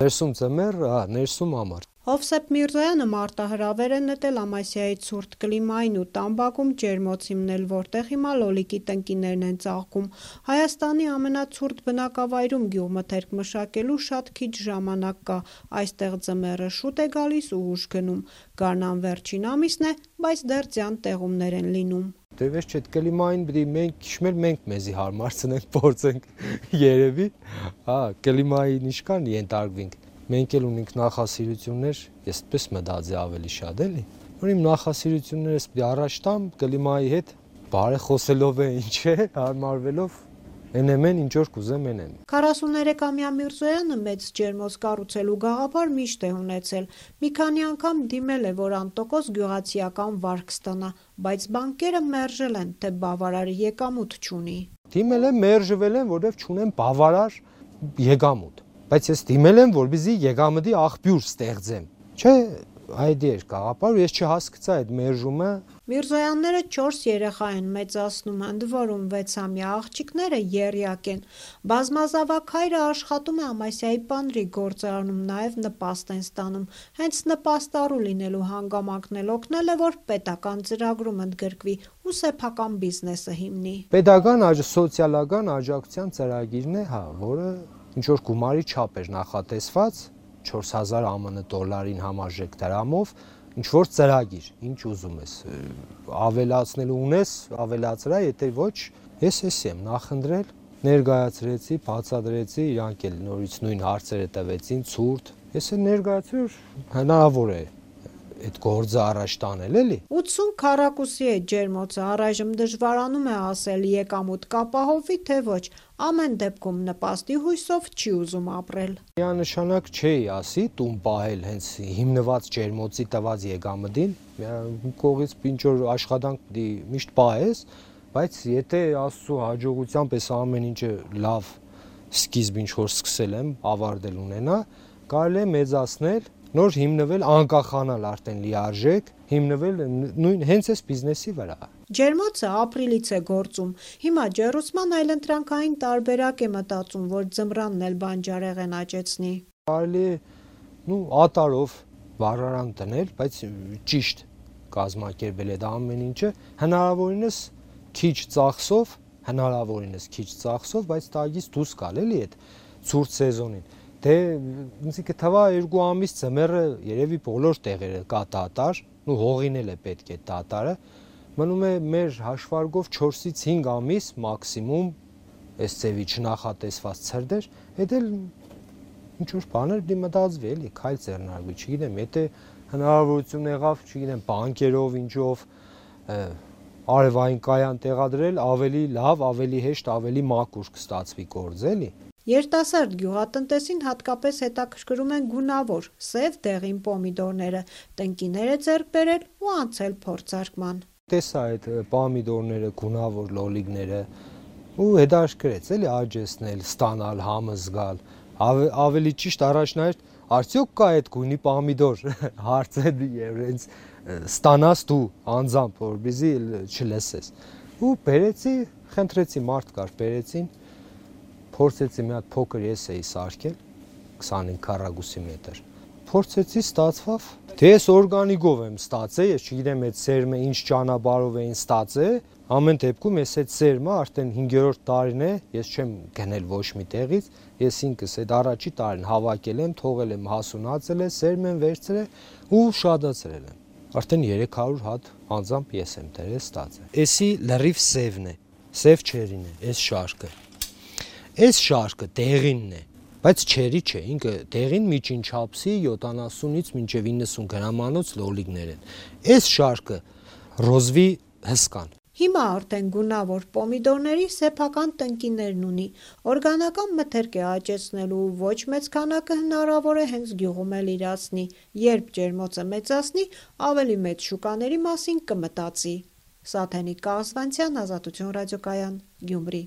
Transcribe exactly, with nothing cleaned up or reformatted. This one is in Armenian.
Ներսում ձմեռ, հա, ներսում ամառ։ Հովսեփ Միրզոյանը մարտահրավեր է նետել Ամասիայի ցուրտ կլիմային ու տամբակում ջերմոց հիմնել, որտեղ հիմա լոլիկի տնկիներն են ծաղկում։ Հայաստանի ամենացուրտ բնակավայրում գյուղմթերք մշակելու շատ քիչ ժամանակ կա, այստեղ ձմեռը շուտ է գալիս ու ուշ գնում։ Գարնան վերջին ամիսն է, բայց դեռ ձյան տեղումներ են լինում։ Դե վերջ այդ կլիմային պիտի մենք քիչ մենք մեզի հարմարցնենք, փորձենք երևի, հա, կլիմային ինչքան ենթարկվենք։ Մենք էլ ունենք նախասիրություններ, ես այդպես մտածի ավելի շատ էլի։ Որ իմ նախասիրություններս պիտի առաջ տամ կլիմայի հետ, բարեխոսելով է ինչ է, հարմարվելով Էնեմ են ինչ որ կուզեմ էնեմ։ քառասուներեքամյա Միրզոյանը մեծ ջերմոց կառուցելու գաղափար միշտ է ունեցել։ Մի քանի անգամ դիմել է, որ անտոկոս գյուղացիական վարկ ստանա, բայց բանկերը մերժել են, թե բավարար եկամուտ չունի։ Դիմել եմ, մերժվել եմ, որովհետև չունեմ բավարար եկամուտ։ Բայց ես դիմել եմ, որպեսզի եկամտի աղբյուր ստեղծեմ։ Չէ, այդ էր գաղափար, ես չհասկացա այդ մերժումը։ Միրզոյանները չորս երեխա են մեծացնում, ընդ որում վեցամյա աղջիկները եռյակ են։ Բազմազավակ հայրը աշխատում է Ամասիայի պանրի գործարանում, նաև նպաստ են ստանում։ Հենց նպաստառու լինելու հանգամանքն էլ օգնել է, որ պետական ծրագրում ընդգրկվի ու սեփական բիզնեսը հիմնի։ Պետական սոցիալական աջակցության ծրագիրն է, հա, որը ինչ որ գումարի չափ էր նախատեսված չորս հազար ԱՄՆ դոլարին համարժեք դրամով, ինչ որ ծրագիր, ինչ ուզում ես, ավելացնելու ունես, ավելացրա, եթե ոչ, ես էսի եմ նախընտրել, ներկայացրեցի, բացատրեցի, իրանք էլ նորից նույն հարցերը տվեցին, ցուրտ, ես էլ ներկայացրի, հնարավոր է այդ գործը առաջ տանել էլի։ ութսուն քառակուսի է ջերմոցը, առայժմ դժվարանում է ասել եկամուտ կապահովվի, թե ոչ, ամեն դեպքում նպաստի հույսով չի ուզում ապրել։ Միանշանակ չէի ասի տուն պահել հենց հիմնված ջերմոցի տված եկամտին, կողից ինչ որ աշխատանք պիտի միշտ պահես, բայց եթե Աստծո հաջողությամբ էս ամեն ինչը լավ սկիզբ ինչ որ սկսել եմ, ավարտել ունենա, կարելի է մեծացնել, նոր հիմնվել, անկախանալ արդեն լիարժեք, հիմնվել նույն հենց այս բիզնեսի վրա։ Ջերմոցը ապրիլից է գործում։ Հիմա ջեռուցման այլընտրանքային տարբերակ է մտածում, որ ձմռանն էլ բանջարեղեն աճեցնի։ Կարելի է, նու ատարով վառարան դնել, բայց ճիշտ կազմակերպել այդ ամեն ինչը, հնարավորինս քիչ ծախսով, հնարավորինս քիչ ծախսով, բայց տագից դուրս գալ էլի այդ ցուրտ սեզոնին։ Դե ինձ կթվա երկու ամիս ձմեռը երևի բոլոր տեղերը կա դատարկ, ու հողին էլ է պետք է դատարը, մնում է մեր հաշվարկով չորսից հինգ ամիս մաքսիմում այս ձևի չնախատեսված ցրտեր, այդ էլ ինչ որ բաներ պիտի մտածվի էլի, քայլ ձեռնարկվի, չգիտեմ, եթե հնարավորություն եղավ, չգիտեմ, բանկերով, ինչով արևային կայան տեղադրել, ավելի լավ, ավելի հեշտ, ավելի մաքուր կստացվի գործ էլի։ Երիտասարդ գյուղատնտեսին հատկապես հետաքրքրում են գունավոր, սև դեղին պոմիդորները, տնկիներ է ձեռք բերել ու անցել փորձարկման։ Տեսա այդ պոմիդորները, գունավոր լոլիկները ու հետաքրքրեց էլի աճեցնել, ստանալ, համը զգալ, ավելի ճիշտ առաջնահերթ արդյոք կա այդ գույնի պոմիդոր, հարցը եւ հենց ստանաս դու անձամբ, որպեսզի չլսես։ Ու բերեցի, խնդրեցի մարդ կար, բերեցին Փորձեցի մի հատ փոքր ես էի սարքել քսանհինգ քառակուսի մետր։ Փորձեցի, ստացվավ։ Դե ես օրգանիկով եմ ստացել, ես չգիտեմ այդ սերմը ինչ ճանապարհով էին ստացել։ Ամեն դեպքում ես այդ սերմը արդեն հինգերորդ տարին է, ես չեմ գնել ոչ մի տեղից, ես ինքս այդ առաջի տարին հավաքել եմ, թողել եմ հասունացել է, սերմ եմ վերցրել ու շատացրել եմ։ Արդեն երեք հարյուր հատ անձամբ ես եմ դրել ստացել։ Էսի լրիվ սևն է, սև չերին է, այս շարքը։ Այս շարքը դեղինն է, բայց չերի չէ, ինքը դեղին միջին չափսի յոթանասունից մինչև իննսուն գրամանոց լոլիկներ են։ Այս շարքը ռոզվի հսկան։ Հիմա արդեն գունավոր պոմիդորների սեփական տնկիներն ունի։ Օրգանական մթերք է աճեցնելու, ոչ մեծ քանակը հնարավոր է հենց գյուղում էլ իրացնի։ Երբ ջերմոցը մեծացնի, ավելի մեծ շուկաների մասին կմտածի։ Սաթենիկ Կաղասվանցյան, Ազատություն ռադիոկայան, Գյումրի։